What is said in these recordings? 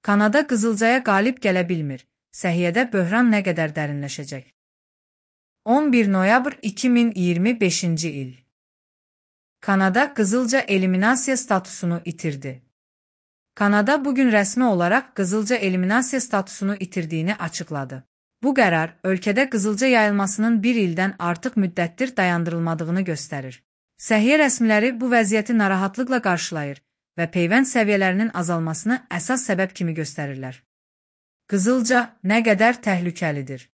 Kanada qızılcaya qalib gələ bilmir. Səhiyyədə böhran nə qədər dərinləşəcək? 11 noyabr 2025-ci il. Kanada qızılca eliminasiya statusunu itirdi. Kanada bugün rəsmi olaraq qızılca eliminasiya statusunu itirdiyini açıqladı. Bu qərar, ölkədə qızılca yayılmasının bir ildən artıq müddətdir dayandırılmadığını göstərir. Səhiyyə rəsmiləri bu vəziyyəti narahatlıqla qarşılayır və peyvənd səviyyələrinin azalmasını əsas səbəb kimi göstərirlər. Qızılca nə qədər təhlükəlidir?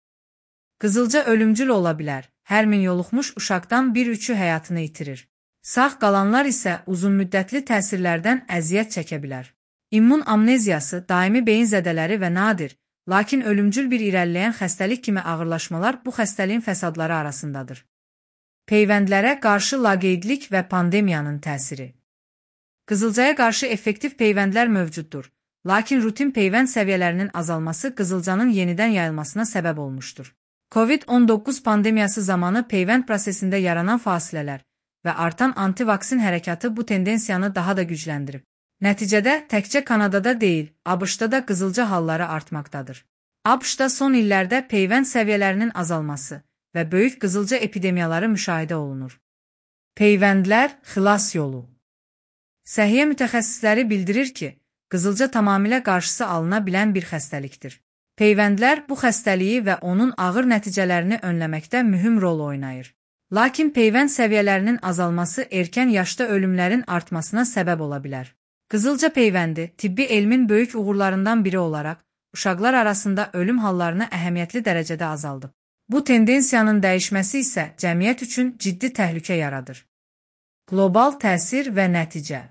Qızılca ölümcül ola bilər. Hər min yoluxmuş uşaqdan bir üçü həyatını itirir. Sağ qalanlar isə uzunmüddətli təsirlərdən əziyyət çəkə bilər. İmmun amneziyası, daimi beyin zədələri və nadir, lakin ölümcül bir irəliləyən xəstəlik kimi ağırlaşmalar bu xəstəliyin fəsadları arasındadır. Peyvəndlərə qarşı laqeydlik və pandemiyanın təsiri. Qızılcaya qarşı effektiv peyvəndlər mövcuddur, lakin rutin peyvənd səviyyələrinin azalması qızılcanın yenidən yayılmasına səbəb olmuşdur. COVID-19 pandemiyası zamanı peyvənd prosesində yaranan fasilələr və artan antivaksin hərəkatı bu tendensiyanı daha da gücləndirib. Nəticədə təkcə Kanadada deyil, ABŞ-da da qızılca halları artmaqdadır. ABŞ-da son illərdə peyvənd səviyyələrinin azalması və böyük qızılca epidemiyaları müşahidə olunur. Peyvəndlər xilas yolu. Səhiyyə mütəxəssisləri bildirir ki, qızılca tamamilə qarşısı alına bilən bir xəstəlikdir. Peyvəndlər bu xəstəliyi və onun ağır nəticələrini önləməkdə mühüm rol oynayır. Lakin peyvənd səviyyələrinin azalması erkən yaşda ölümlərin artmasına səbəb ola bilər. Qızılca peyvəndi, tibbi elmin böyük uğurlarından biri olaraq, uşaqlar arasında ölüm hallarını əhəmiyyətli dərəcədə azaldıb. Bu tendensiyanın dəyişməsi isə cəmiyyət üçün ciddi təhlükə yaradır. Qlobal təsir və nəticə.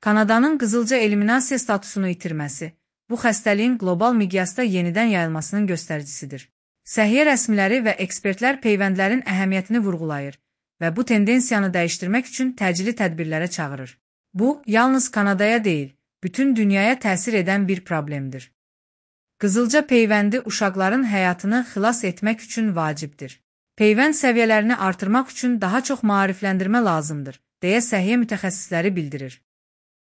Kanadanın qızılca eliminasiya statusunu itirməsi, bu xəstəliyin qlobal miqyasda yenidən yayılmasının göstəricisidir. Səhiyyə rəsmiləri və ekspertlər peyvəndlərin əhəmiyyətini vurğulayır və bu tendensiyanı dəyişdirmək üçün təcili tədbirlərə çağırır. Bu, yalnız Kanadaya deyil, bütün dünyaya təsir edən bir problemdir. Qızılca peyvəndi uşaqların həyatını xilas etmək üçün vacibdir. Peyvənd səviyyələrini artırmaq üçün daha çox maarifləndirmə lazımdır, deyə səhiyyə mütəxəssisləri bildirir.